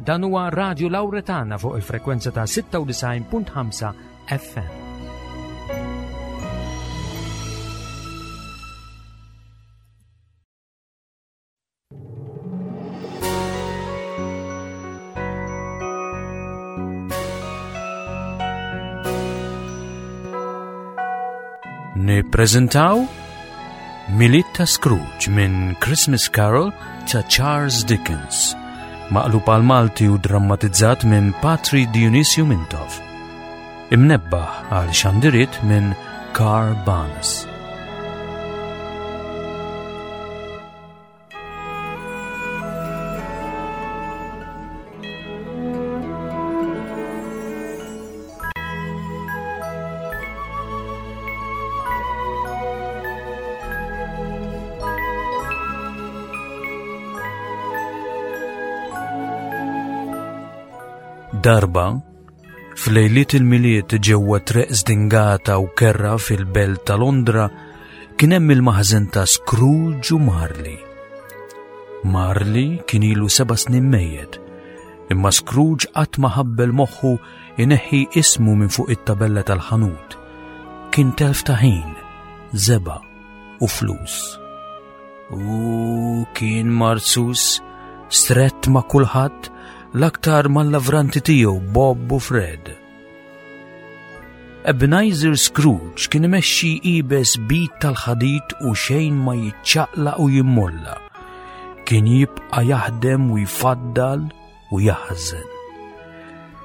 Dan huwa Radio Lauretana fuq il-frekwenza ta' 96.5 FM. Nippreżentaw Milied ta' Scrooge minn Christmas Carol ta' Charles Dickens, maqlub għal Malti u drammatizzat minn Patri Dionisio Mintoff. Imnebbaħ għal xandiriet minn Carl Barnes. Darba, f'lejliet il-Milied ġewwa treq żdingata u kerra fil-belt ta' Londra, kien hemm il-maħżen ta' Scrooge u Marley. Marley kien ilu seba' snin mejjet, imma Scrooge qatt ma ħabbel moħħu ineħħi ismu minn fuq it-tabella tal-ħanut. Kien telf ta' ħin, żebgħa u flus. U kien marzus, strett ma' kulħadd, l-aktar mal-lavranti tiegħu Bob u Fred. Ebenezer Scrooge kien imexxi ibes bit tal-ħadid u xejn ma jiċċaqlaq u jimmolla. Kien jibqa' jaħdem u jfaddal u jaħżen.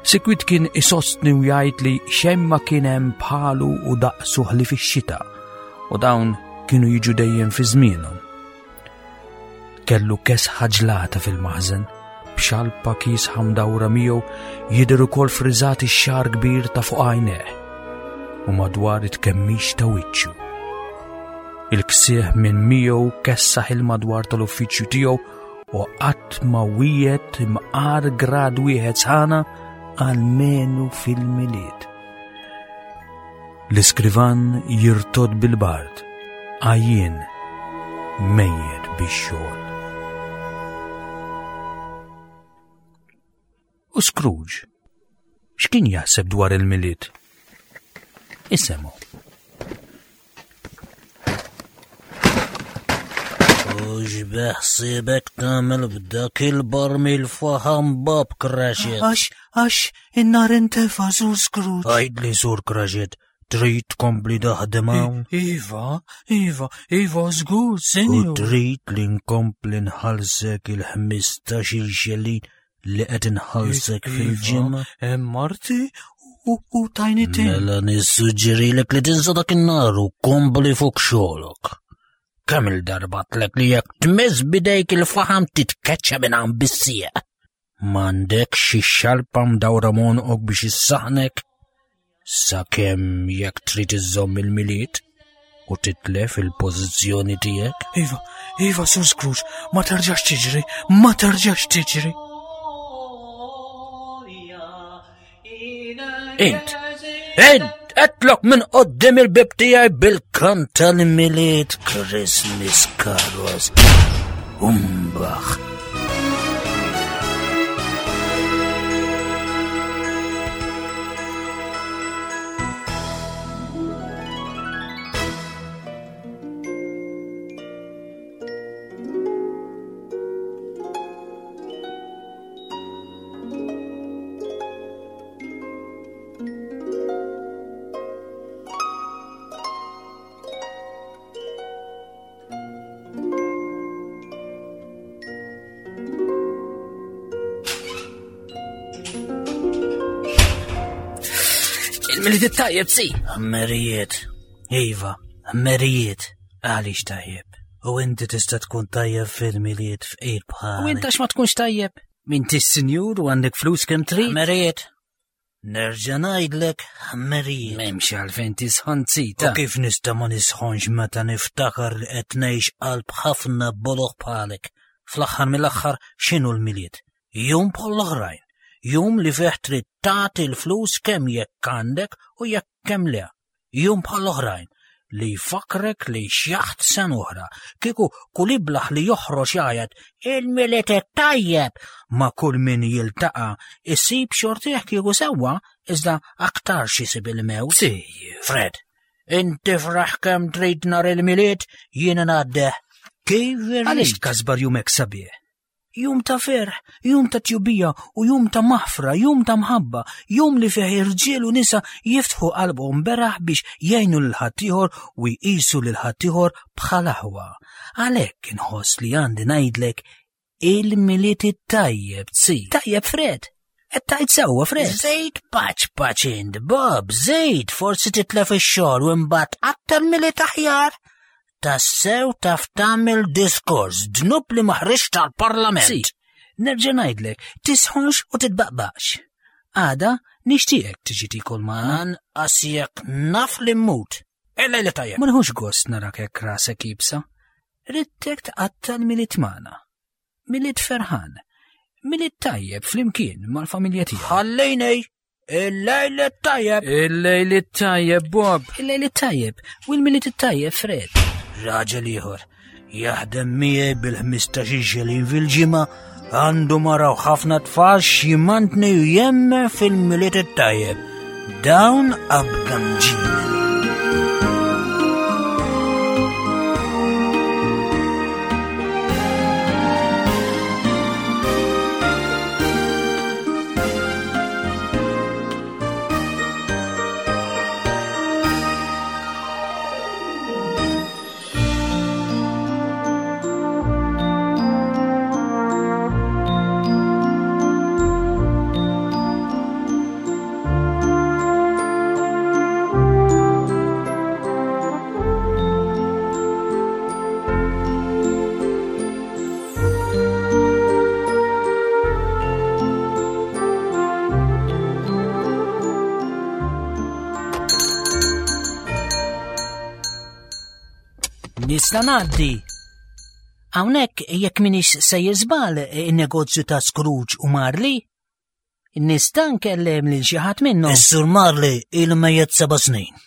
Sikwit kien isostni u jgħid li xejn ma kien hemm bħalu u daqsu ħlief ix-xita u dawn kienu jiġu dejjem fi żmienhom. Kellu kesħa ġlata fil-maħżen, b'xalpa kiesħa mdawra miegħu jidher ukoll friżat ix-xagħar kbir ta' fuq għajnejh u madwar it-kemmix ta' wiċċu. Il-ksieħ minn miegħu kessaħ il-madwar tal-uffiċċju tiegħu u qatt ma wiegħed imqar grad wieħed sħana għalmenu fil-Milied. L-iskrivan jirtod bil-bard, għajjien, mejjet bix-xogħol. U Scrooge, x'kien jaħseb dwar il-Milied? Isemu. U x'beħsiebek tagħmel b'dak il-barmil faħam Bob Cratchit? Għax, għax, in-nar intefa' Sur Scrooge. Għidli Sur Cratchit, trid tkompli taħdem hawn? Iva, iva, iva, żgur, sinjur. U trid li nkompli nħallsek il-15-il xelin li qed inħallsek iva, fil-ġimgħa? Hemm marti u tajni tin. Mela nissuġġerilek li tinsa dak in-nar u kompli fuq xogħlok. Kemm il-darba tlek li jekk tmiss bidejk il-faħam titkeċċa minn hawn bis-sieq. M'għandek xi xalpa mdawra monqok biex issaħnek? Sakemm jekk trid iżżomm il-Milied u titlef il-pożizzjoni tiegħek. Iva, iva, Sur Scrooge, ma terġax tiġri, ma terġax tiġri. Int, int, etlok minn qoddim il-bib tiegħi bil-kant tal-Milied Christmas Carols. Umbaħ. Il-miliet it-tajjeb, si. Ħmerijiet. Iva, ħmerijiet. Għaliex tajjeb? U inti tista' tkun tajjeb fil-miliet fqir bħal. U inta ma tkunx tajjeb? Minti sinjur u għandek flus kemm trid? Ħmerijiet. Nerġa' ngħidlek ħmerijiet. M'hemmx għalfejn tisħon zita. U kif nista' ma nisħonx meta niftakar li qed ngħix qalb ħafna boloh bħalek. Fl-aħħar mill-aħħar x'inhu l-Milied? Jum bħall-oħrajn. Jum li fih trid tagħti l-flus kemm jekk għandek u jekk kemm le. Jum bħall-oħrajn. li jfakkrek li xjaħt sen oħra, kieku kull iblaħ li joħroġ jgħajat il-Milied it-tajjeb ma' kull min jiltaqa' isib xortih kieku sewwa iżda aktarx isib il-mewt. Si. Fred, inti fraħ kemm trid nhar il-Milied jiena ngħaddeh kif irrid. Għaliex tkasbar jumek sabiħ? Jum ta' ferħ, jum ta' tjubija u jum ta' maħfra, jum ta' mħabba, jum li fih irġiel u nisa jiftħu qalbhom beraħ biex jgħinu lil ħaddieħor u jqisu lil ħaddieħor bħal aħwa. Għalhekk inħoss li għandi ngħidlek il-Milied it-tajjeb tsi. Tajjeb Fred. Qed tgħid sewwa Fred. Żejt paċ paċ int, Bob, żejt forsi titlef ix-xogħol u imbagħad aktar Milied aħjar. Tassew taf tagħmel diskors dnub li ma ħriġx tal-Parlament. Si, nerġa' ngħidlek, tisħonx u titbaqbaqx. Għada nixtieqek tiġi tikol magħna. Anqas jekk naf li mmut. Il-lejla tajjeb. Ma nħux gost narak hekk rasek ibsa. Ridtek tqatta' l-Milied magħna. Milied ferħan. Milied tajjeb flimkien mal-familja tiegħek. Ħallini Il-lejl it-tajjeb. Il-lejl it-tajjeb, Bob. Il-lejl it-tajjeb u l-Milied it-tajjeb, Fred. Raġel ieħor jaħdem miegħi bil-15 xelin fil-ġimgħa għandu mara u ħafna tfal x'jimantni u jemmen fil-Milied it-tajjeb. Dawn abgamġin. Nista' ngħaddi. Hawnhekk jekk minix sejjer żball in-negozju ta' Scrooge u Marley, nista' nkellem lil xi ħadd minnhom. Is-Sur Marley ilu mejjet seba' snin.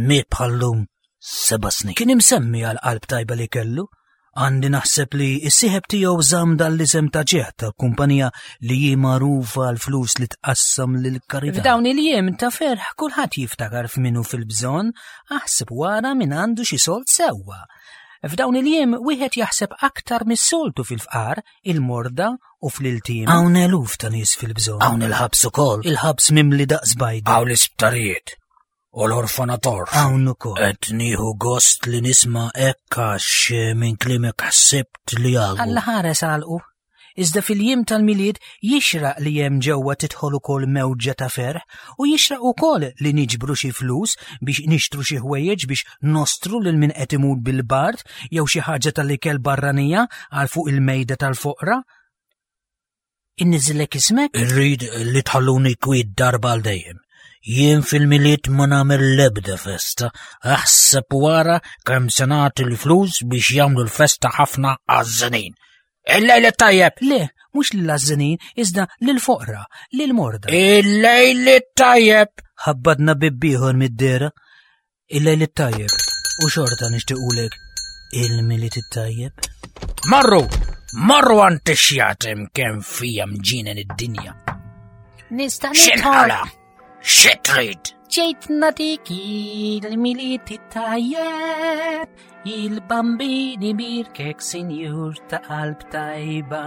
Miet bħallum seba' snin. Kien imsemmi għal qalb tajba li kellu. Għandi naħseb li s-sieħeb tiegħu żamm dan l-isem ta' ġieħ tal-kumpanija li hi magħrufa għal flus li tqassam lil karità. F'dawn il-jiem ta' ferħ kulħadd jiftakar f'minu fil-bżonn, aħseb wara min għandu xi sold sewwa. F'dawn il-jiem wieħed jaħseb aktar mis-soltu fil-fqar, il-morda u fl-iltim. Hawn eluf ta' nies fil-bżonn. Hawn il-ħabs ukoll. Il-ħabs mimli daqs bajda. Hawn l-isptarijiet u l-orfanator. Hawn ukoll. Qed nieħu gost li nisma' hekk għax eh, minn kliemek ħsibt li għalqu. Alla ħares għalqu. Iżda fil-jiem tal-Milied jixraq li hemm ġewwa tidħol ukoll mewġa ta' ferħ u jixraq ukoll li niġbru xi flus biex nixtru xi ħwejjeġ biex nostru lil min qed imut bil-bard jew xi ħaġa tal-ikel barranija għal fuq il-mejda tal-foqra. Inniżillek ismek? Irrid li tħalluni kwiet darba għal dejjem. Jien fil-Milied ma nagħmel l-ebda festa, aħseb wara kemm se nagħti l-flus biex jagħmlu l-festa ħafna għaż-żinin. Il-lejl tajjeb! Le, mhux lill-għażżinin, iżda lill-foqra, lill-morda. Il-lejl tajjeb! Ħabbadna bieb ieħor mid-dehra. Il-lejl it-tajjeb u xorta nixtiequlek il-Milied it-tajjeb. Marru, marru għand ix-xjatem kemm fija mġinen id-dinja. Nista' nidħol. X'inħala? Xi trid? Ġejt natik il-Milied it-tajjeb, il-bambini birkek sinjur ta' qalb tajba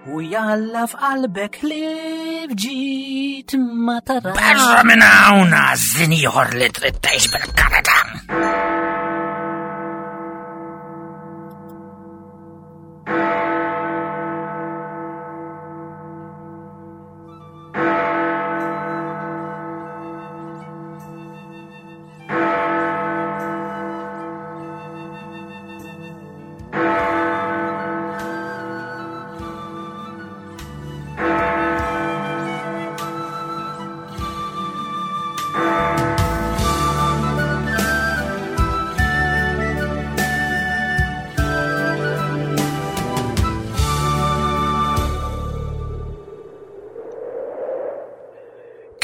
U jalla f'qalbek li ġit ma tara. Barra minn hawn għażin ieħor li trid tgħix bil-Kanada.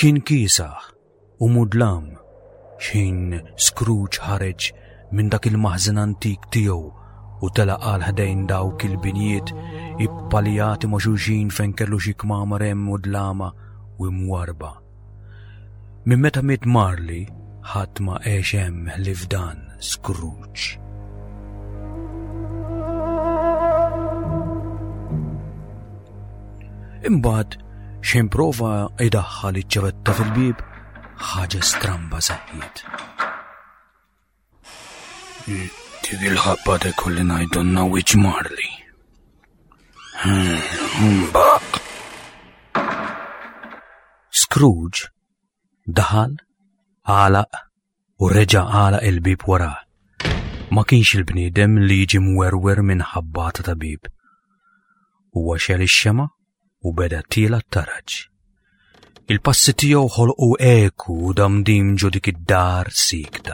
Kien kiesaħ u mudlam. X'ħin Scrooge ħareġ minn dak il-maħżen antik tiegħu u telaq għal ħdejn dawk il-binjiet ippalijati ma' xulxin fejn kellu xi kmamar hemm u dlama u imwarba. Minn meta miet Marley, ħadd ma għex hemm ħlief dan Scrooge. Imbagħad xejn prova idaħħal iċ-ċavetta fil-bieb, ħaġa stramba seħħiet. Dik il-ħabba de kolli ngħidonna wiċ Marley. Mbaq. Scrooge daħal, għalaq u reġa' għalaq il-bieb warah. Ma kienx il-bniedem li jiġi mwerwer minn ħabbata ta' bieb. Huwa xel ix-xema u beda tiela t-taraġ. Il-passi tiegħu ħolqu eku u damdim ġo dik id-dar sikta.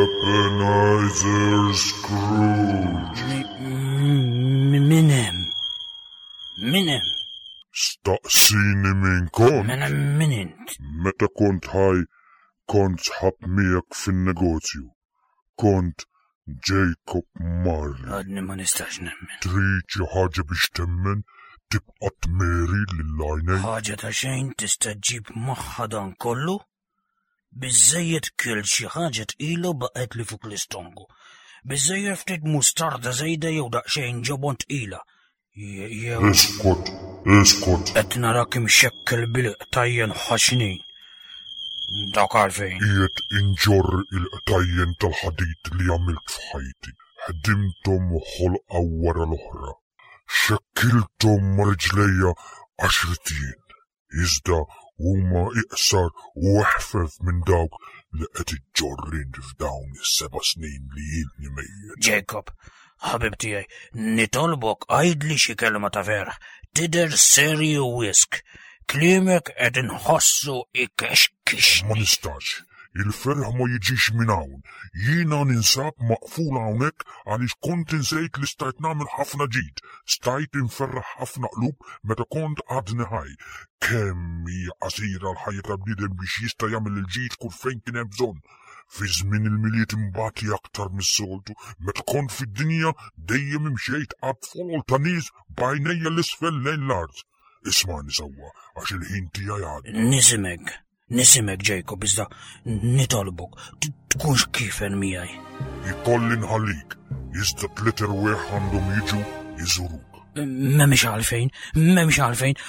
Ebenezer Scrooge. Min hemm? Min hemm? Staqsini min kont. Mela min int? Meta kont ħaj Kont sħab miegħek fin-negozju. Kont Jacob Marley. Għadni ma nistax nemmen. Trid xi ħaġa biex temmen tibqa' tmeri lil għajnejk? Ħaġa ta' xejn tista' ġġib magħha dan kollu? Biżżejjed kilt xi ħaġa tqila u baqgħetli fuq l-istonku. Biżżejjed ftit mustarda żejda jew daqsxejn ġobon tqila. Jew. Iskot, iskot. Qed narak imxekkel bil-qtajjen ħaxnin. Dak għalfejn. Qiegħed inġorr il-qtajjen tal-ħadid li għamilt f'ħajti. Ħdimthom ħolqa wara l-oħra. Xekkilthom ma' riġlejja għaxriet jien. Iżda huma iqsar u eħfef minn dawk li qed iġġorr int f'dawn is-seba' snin li ilni mejjet. Jacob, ħabib tiegħi, nitolbok għidli xi kelma ta' ferħ. Tidher serju wisq. Kliemek qed inħossu ikexkixni. Ma nistax. Il-ferħ ma jiġix minn hawn. Jiena ninsab maqful hawnhekk għaliex kont insejt li stajt nagħmel ħafna ġid. Stajt inferraħ ħafna qlub meta kont għadni ħaj. Kemm hija qasira l-ħajja ta' bniedem biex jista' jagħmel il-ġid kull fejn kien hemm bżonn. Fi żmien il-Milied imbati aktar mis-soltu, meta kont fid-dinja dejjem imxejt qalb folol ta' nies b'għajnejja 'l isfel lejn l-art. Ismagħni sewwa għax il-ħin tiegħi għadda. Nisimek, Nisimek Jacob iżda nitolbok tkunx kifen miegħi. Ikolli nħallik, iżda tliet erwieħ għandhom jiġu jżuruk. M'hemmx għalfejn, m'hemmx għalfejn,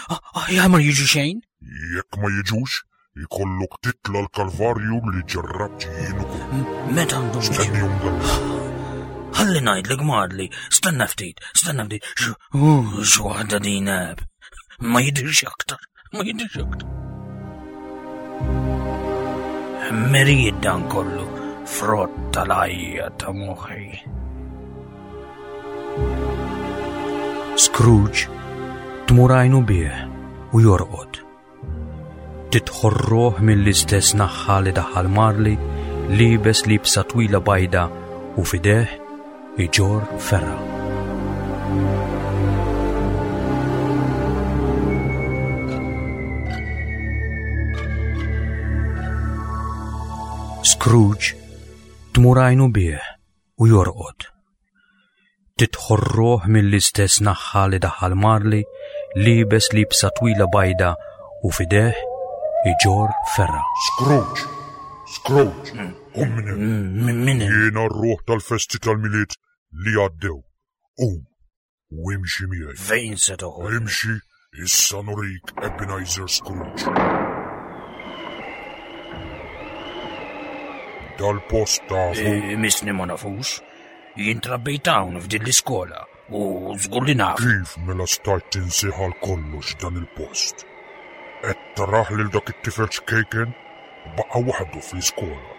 aħjar ma jiġu xejn. Jekk ma jiġux, ikollok titla l-kalvarju li ġarrabt jien ukoll. Meta għandhom Stennihom dal Ħalli ngħidlek Marli, stenna ftit, stenna ftit, x'waħda din Ma jidhirx aktar. Ma jidhirx aktar. Merijiet dan kollu frott tal-għajja ta' moħħi. Scrooge tmur għajnu bih u jorqod. Tidħol ruħ mill-istess naħħa li daħal Marley liebes libsa twila bajda u fideh iġorr ferra. Scrooge tmur għajnu bih u jorqod. Tidħol ruħ mill-istess naħħa li daħal Marley liebes libsa twila bajda u fideh iġorr ferra. Scrooge! Scrooge! Qum minn hemm. Min hemm? Jiena r-ruħ tal-festi tal-Milied li għaddew. Qum u imxi miegħi. Fejn se toħodni? Imxi, issa nurik Ebenezer Scrooge. Dal-post tafu. Eh, misni ma nafux. Jien trabbejt hawn f'din l-iskola u żgur li naf. Kif mela stajt tinsih għal kollox dan il-post? Qed tarah lil dak it-tifel ċkejken? Baqa' waħdu fl-iskola.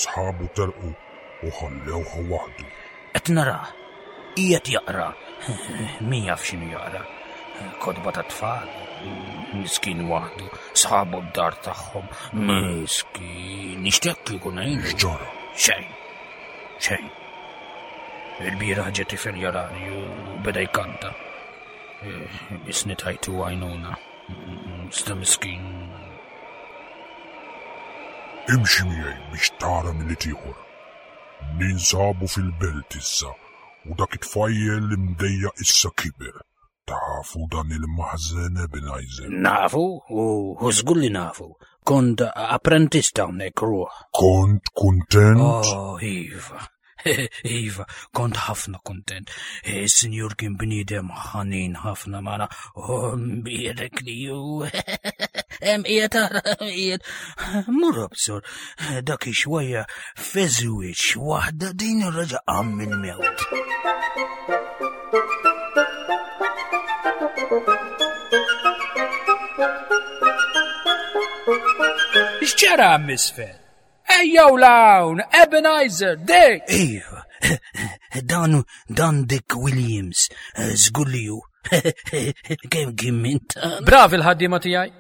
Sħabu telqu u ħallewh waħdu. Qed narah. Qiegħed jaqra. Min jaf x'inhu jaqra. Kotba ta' tfal. Miskin waħdu. Sħabu d-dar tagħhom. Miskin. Nixtieq kieku ngħinu. X'ġara? Xejn. Xejn. Il-bieraħ ġie tifel jarani u beda jkanta. Eh, isni tajtu għajnuna. Sta miskin. Imxi miegħi biex tara Milied ieħor. Ninsabu fil-belt issa u dak it-tfajjel imdejjaq issa kiber. Tafu dan il-maħżen Ebenezer? Nafu, u żgur li nafu. Kont apprentist hawnhekk ruħ. Kont kuntent? Oh, iva. Iva, kont ħafna kontent. Is-sinjur kien bniedem ħanin ħafna magħna. Oh, mbierek li ju. Hemm qiegħed ara, qiegħed. Mur obsor, dak ix-xwejja feżwiċ waħda din ir-raġa qam mill-mewt. X'ġara misfel? Ejjew l-hawn, Ebenezer, Dick! Iva, dan dan Dick Williams, żgur li hu. Kemm kien minn ta' Bravi l-ħaddiema tiegħi.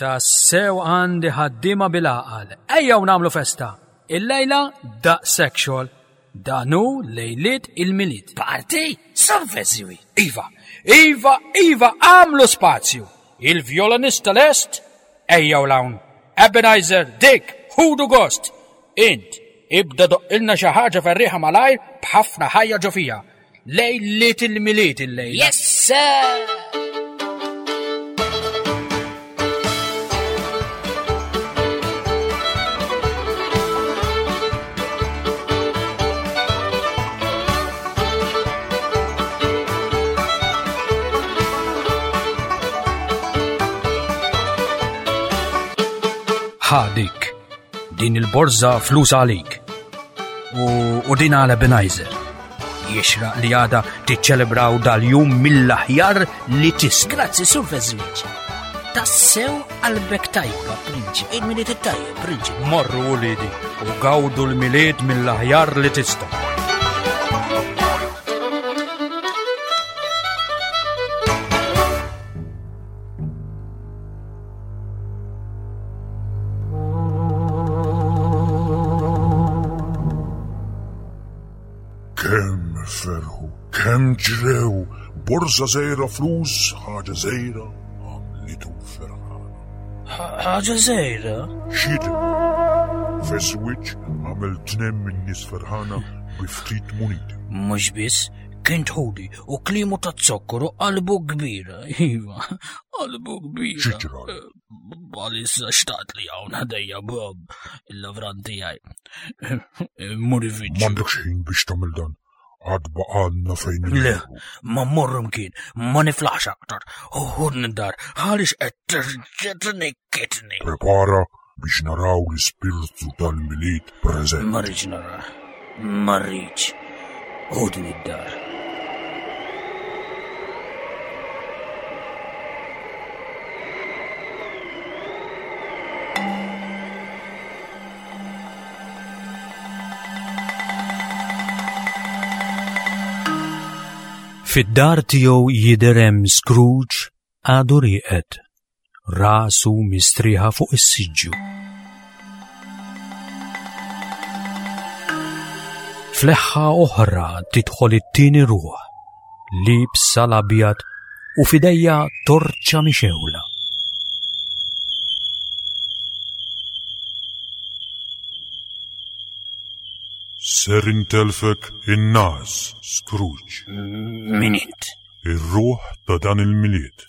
Tassew għandi ħaddiema bil-għaqal. Ejjew nagħmlu festa. Illejla daqshekk xogħol. Dan hu lejliet il-Milied. Party? Sorveżiwi. Iva, iva, iva, għamlu spazju. Il-vjolinista lest? Ejjew 'l hawn. Ebenezer, Dick, ħudu gost. Int, ibda doqqilna xi ħaġa ferrieħa malajr b'ħafna ħajja ġo fija. Lejliet il-Milied illejla. Yes, sir! Ħa dik, din il-borża flus għalik. U, u din għal Ebenezer. Jixraq li għada tiċċelebraw dal-jum mill-aħjar li tista'. Grazzi, Sur Feżwiċ. Tassew qalbek tajba, prinċi. Il-Milied it-tajjeb, prinċi. Morru uliedi u gawdu l-Milied mill-aħjar li tista'. Kemm ferħu, kemm ġrew, borża żgħira flus, ħaġa żgħira, għamlitu ferħana. Ħaġa żgħira? X'jidher? Feswiċ għamel tnem minn nies ferħana bi ftit muniti. Mhux biss, kien tħudi u klimu ta' zokkor u qalbu kbira. Iva, qalbu kbira. Xi ġrali? Għalissa xtaqt li hawn ħdejja Bob, il-lavran tiegħi. Muri fiġ. M'għandekx ħin biex tagħmel dan. Għad baqgħalna fejn Le, ma mmorru mkien, ma niflaħx aktar. Uħudni d-dar, għaliex qed terġa' tnikkitni. Prepara biex naraw l-ispirtu tal-Milied preżenti. Ma rridx nara, ma rridx. Ħudni d-dar. Fid-dar tiegħu jidher hemm Scrooge għadu rieqed. Rasu mistrieħa fuq is-siġġu. Fleħħa oħra tidħol it-tieni ruħ, liebsa l-abjad u f'idejja torċa mixewla. Ser intelfek in-nas, Scrooge. Min int? Ir-ruħ ta' dan il-Milied.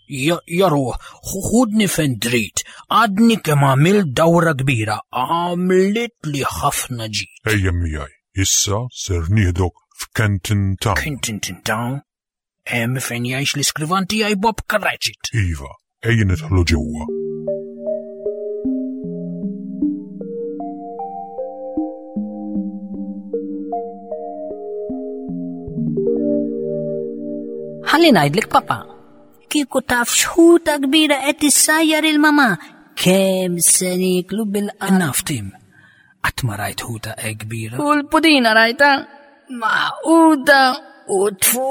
Ja ruħ, ħudni fejn trid, għadni kemm għamilt dawra kbira, għamlit li ħafna ġid. Ejja miegħi, issa ser nieħdok f'Kenton Town. Kenton Town? Hemm fejn jgħix l-iskrivan tiegħi Bob Cratchit. Iva, ejja nidħlu ġewwa. Ħalli ngħidlek papa, kieku taf xħuta kbira qed issajjar il-mama, kemm se nieklu bil-qal. Naf Tim, qatt ma rajt ħuta hekk kbira. U l-pudina rajta, maquda u tfu.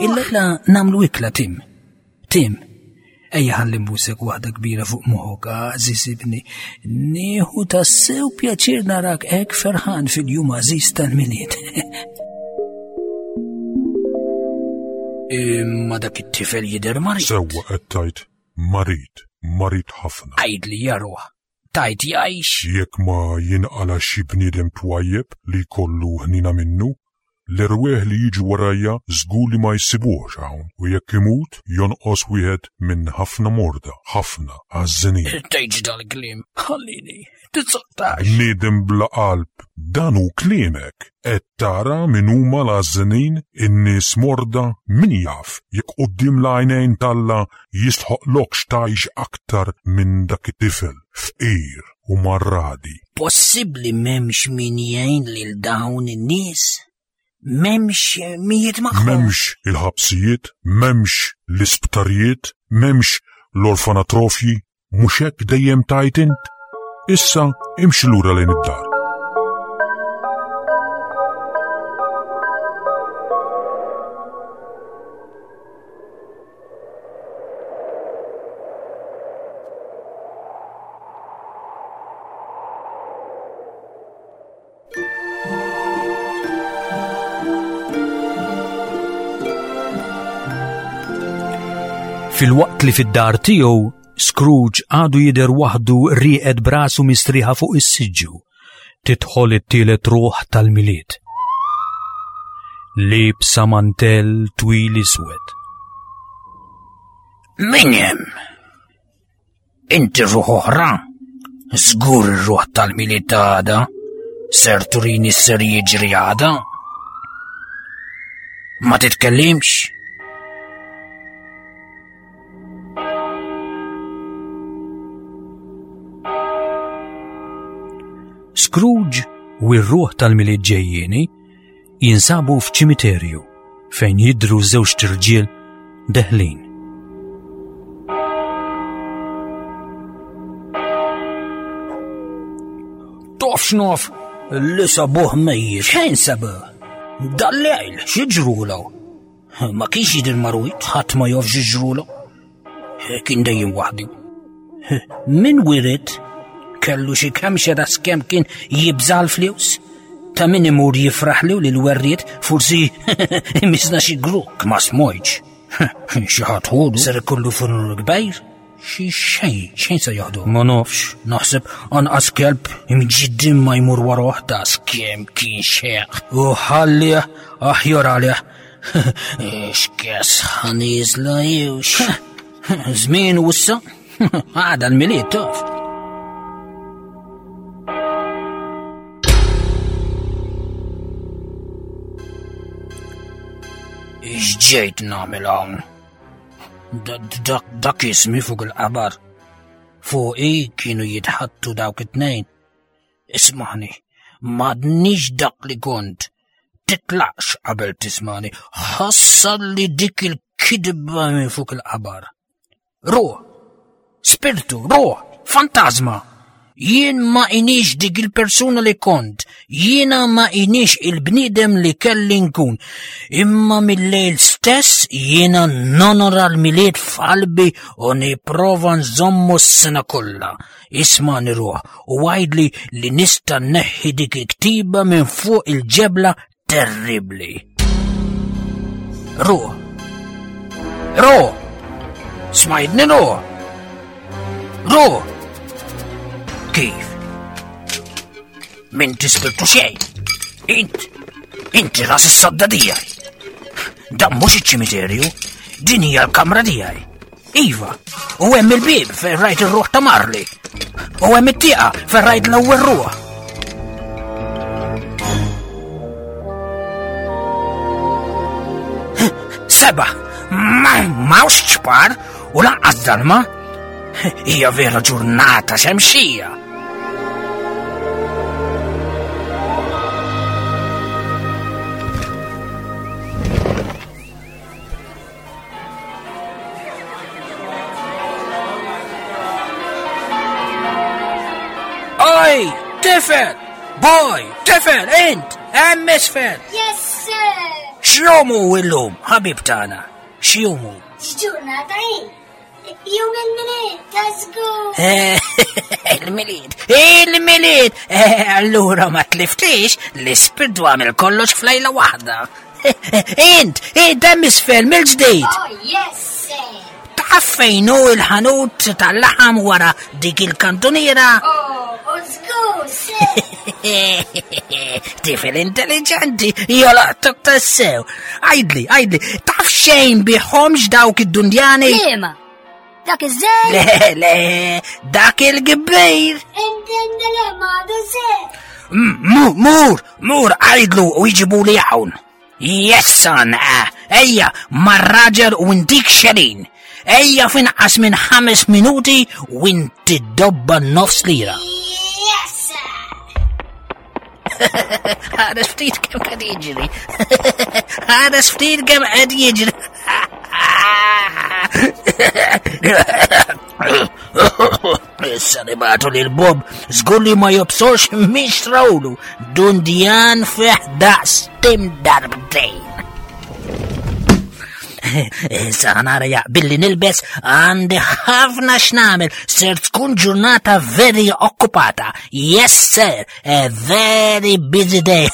Illejla nagħmlu ikla Tim. Tim, ejja ħalli nbusek waħda kbira fuq moħok, għażiż ibni. Nieħu tassew pjaċir narak hekk ferħan fil-jum għażiż tal-Milied. Imma dak it-tifel jidher marid. Sewwa qed tgħid marid, marid ħafna. Għidli ja ruħ, tgħid jgħix? Jekk ma jinqala' xi bniedem twajjeb li jkollu ħniena minnu, l-erwieħ li jiġu warajja żgur li ma jsibuhx hawn u jekk imut jonqos wieħed minn ħafna morda, ħafna għażżenin. Tgħidx dal-kliem, ħallini, Titsottax. Bniedem bla qalb, dan hu kliemek. Qed tara min huma l-għażżenin, in-nies morda, min jaf jekk quddiem l-għajnejn t'Alla jistħoqqlokx tgħix aktar minn dak it-tifel fqir u marradi. Possibbli m'hemmx min jgħin lil dawn in-nies? M'hemmx mijiet magħhom. M'hemmx il-ħabsijiet, m'hemmx l-isptarijiet, m'hemmx l-orfanatrofji, mhux hekk dejjem tajt int? Issa imxi lura lejn id-dar. Filwaqt li fid-dar tiegħu Scrooge għadu jidher waħdu rieqed brasu mistrieħa fuq is-siġġu. Tidħol it-tielet ruħ tal-Milied. Liebsa mantell twil iswed. Min hemm? Inti ruħ oħra? Żgur ir-ruħ tal-Milied għada? Ser turini ser jiġri għada? Ma titkellimx? Scrooge u r-ruħ tal-Milied ġejjieni jinsabu f'ċimiterju fejn jidhru żewġt irġiel deħlin. Taf x'naf li sabuh mejjet. Xejn sabuh? Dal-lejl, xi ġrulu? Ma kienx jidher marwit, ħadd ma jaf xi ġrulu. Kien dejjem waħdu. Min wiret kellu xi kemxa da skemm kien jibża l-flus? Ta' min imur jifraħlu lil werriet forsi imisna xi gruk ma smojġ. Xi ħadd ħodu ser ikollu funur kbir? Xi xejn, xejn se jaħdu. Ma nafx, naħseb anqas kelb imġiddim ma jmur waroh ta' skemm kien xeq. U ħallih aħjar għalih. X'kes ħaniżla jewx. Żmien u issa, għada l-milied taf. X'ġejt nagħmel hawn? Dak ismi fuq il-qabar. Fuqi kienu jitħattu dawk it-tnejn. Ismani, m'għadnix dak li kont. Titlaqx qabel tismani. Ħassar li dik il-kidba minn fuq il-qabar. Ruħ, spirtu, ruħ, fantasma. Jien ma inix dik il-persuna li kont, jiena ma inix il-bniedem li kelli nkun. Imma mill-lejl stess jiena nonora l-milied f'qalbi u nipprova nżommu s-sena kollha. Ismani ruħ u għidli li nista' nneħħi dik il-ktiba minn fuq il-ġebla terribli. Ruħ. Ruħ. Smajtni ruħ. Ruħ. Kif? Min tispirtu xejn. Int, inti ras is-sodda tiegħi. Dan mhux iċ-ċimiterju, din hija l-kamra tiegħi. Iva, u hemm il-bieb fejn rajt ir-ruħ ta' Marley. U hemm it-tieqa fejn rajt l-ewwel ruħ. Seba, m'hawnx ċpar u lanqas dalma. Hija vera ġurnata xemxija. Oj, tifel! Boy, tifel, int, hemm isfel! Yes, sir! X'jum hu illum, ħabib tagħna? X'jum hu? X'ġurnata hi? Jum il-Milied, ta' żgur! Il-Milied, il-Milied! Eh, allura ma tliftix, l-ispirtu għamel kollox f'lejla waħda. Int, int hemm isfel mill-ġdid. Oh, yes, sir. Taf fejn hu il-ħanut tal-laħam wara dik il-kantuniera? Oh, żgur, sir. Tifel intelligenti, jolaqtok tassew. Għidli, għidli, taf xejn biħomx dawk id-dundjani? Liema? Dak iż-żejr? Le, le, dak il-kbir. Intendi le m'għadu żejr. Mur, mur, mur, għidlu u jġibu li hawn. Yes, son, eh, ejja, mar-raġel u intik xerin. Ejja f'inqas minn ħames minuti u inti dobba nofs lira. Yes, sir. Ħares ftit kemm qed jiġri. Ħares ftit kemm qed jiġri. Issa nibatu lil Bob żgur li ma jobsorx mhix trawlu dundjan fih daqs tim darbtejn. Issa nara jaqbilli nilbes għandi ħafna x'nagħmel ser tkun ġurnata very okkupata. Yes sir, a very busy day.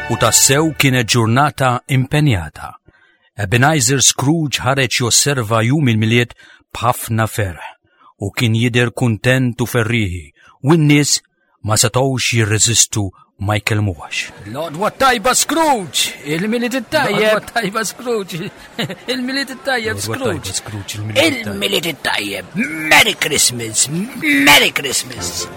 U tassew kienet ġurnata impenjata. Ebenezer Scrooge ħareġ josserva jum il-Milied b'ħafna ferħ u kien jidher kuntent u ferrieħi u n-nies ma setgħux jirreżistu ma jkellmuhx. L-għodwa tajba Scrooge! Il-Milied it-tajjeb! L-għodwa tajba Scrooge! Il-Milied it-tajjeb Scrooge! Il-Milied it-tajjeb! Merry Christmas! Merry Christmas!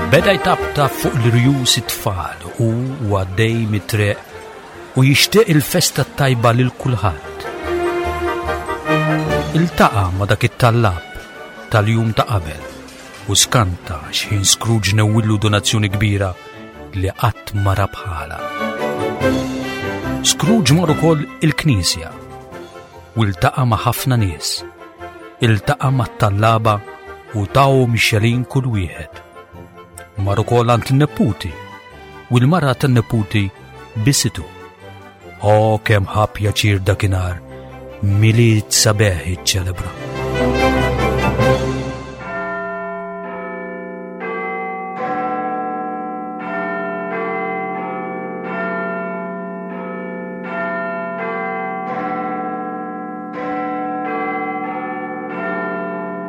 Beda jtaptap fuq l-irjus it-tfal u għaddej mit-triq u jixtieq il-festa t-tajba lil kulħadd. Iltaqa' ma' dak it-tallab tal-jum ta' qabel u skanta x'ħin Scrooge newwillu donazzjoni kbira li qatt ma ra bħala. Scrooge mar ukoll il-knisja u ltaqa' ma' ħafna nies. Iltaqa' mat-tallaba u tahom xelin kull wieħed. Mar ukoll għand in-neputi u l-mara tan-neputi bisitu. O kemm ħa pjaċir dakinhar Milied sabiħ iċċelebra.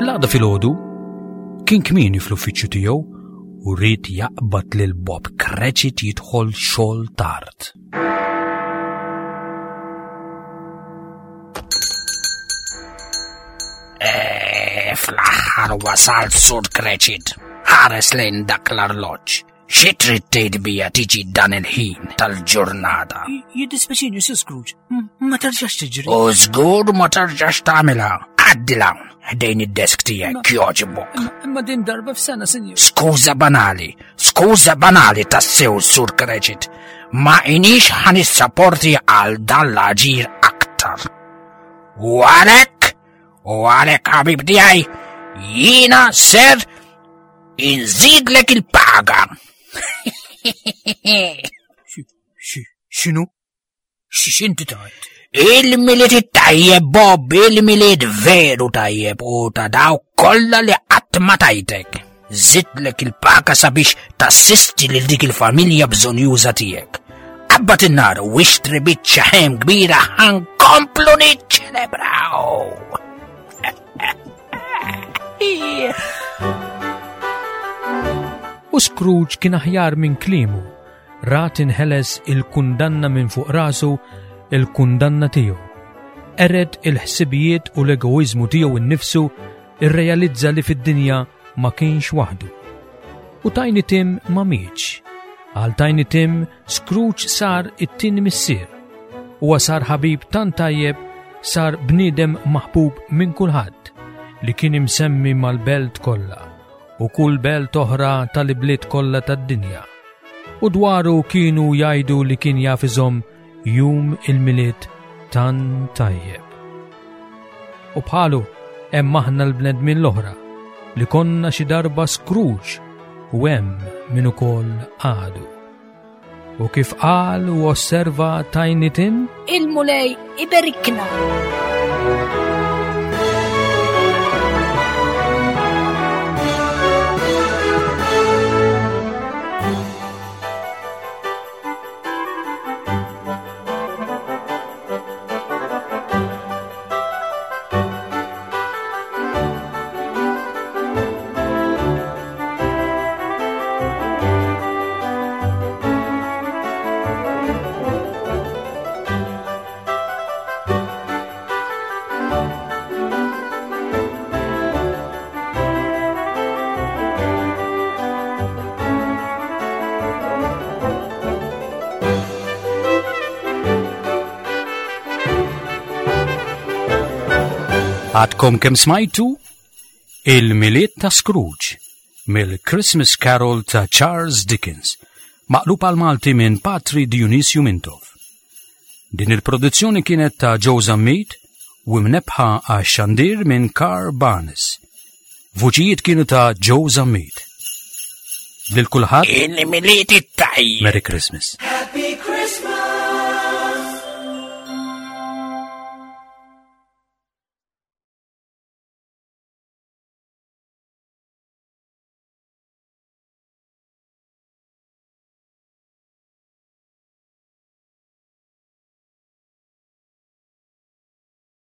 L-għada filgħodu kien kmieni fl-uffiċċju tiegħu u ried jaqbad lil Bob Cratchit jidħol xogħol tard. Eh, fl-aħħar wasalt sur Cratchit. Ħares lejn dak l-arloġġ. Xi trid tgħid bija tiġi dan il-ħin tal-ġurnata? Jiddispjaċini, Sir Scrooge, ma terġax tiġri. U żgur ma terġax tagħmilha. Għaddi hawn ħdejn id-desk tiegħek jogħġbok. Imma din darba f'sena, sinjur. Skuża banali, skuża banali tassew Sur Cratchit. Ma inix ħan nissaporti għal dan l-aġir aktar. U għalhekk, u għalhekk ħabib tiegħi, jiena ser Inżidlek il-paga. X'inhu? X'inti tajt? Il-milied it-tajjeb, Bob, il-milied veru tajjeb u ta' daw kollha li qatt ma tajtek. Żidlek il-paga sabiex tassisti lil dik il-familja bżonjuża tiegħek. Qabbat in-nar u ixtri biċċa ħem kbira ħankomplu niċċelebraw. U Scrooge kien aħjar minn kliemu, ra tinħeles il-kundanna minn fuq rasu il-kundanna tiegħu. Ered il-ħsibijiet u l-egoiżmu tiegħu innifsu irrealizza li fid-dinja ma kienx waħdu. U Tiny Tim ma mietx. Għal Tiny Tim, Scrooge sar it-tieni missier. Huwa sar ħabib tant tajjeb, sar bniedem maħbub minn kulħadd li kien imsemmi mal-belt kollha u kull belt oħra tal-ibliet kollha tad-dinja. U dwaru kienu jgħidu li kien jaf iżomm Jum il-Milied tant tajjeb. U bħalu hemm aħna l-bnedmin l-oħra li konna xi darba Scrooge u hemm min ukoll għadu. U kif qal u osserva Tiny Tim? Il-Mulej iberikna! Għadkom kem smajtu Il-Milied ta' Scrooge mill-Christmas Carol ta' Charles Dickens, maqlub għal Malti minn Patri Dionisju Mintoff. Din il-produzzjoni kienet ta' Joe Zammit u mnebħa għax xandir minn Carl Barnes. Vuċijiet kienu ta' Joe Zammit. Lil kulħadd Il-Milied it-tajjeb. Merry Christmas.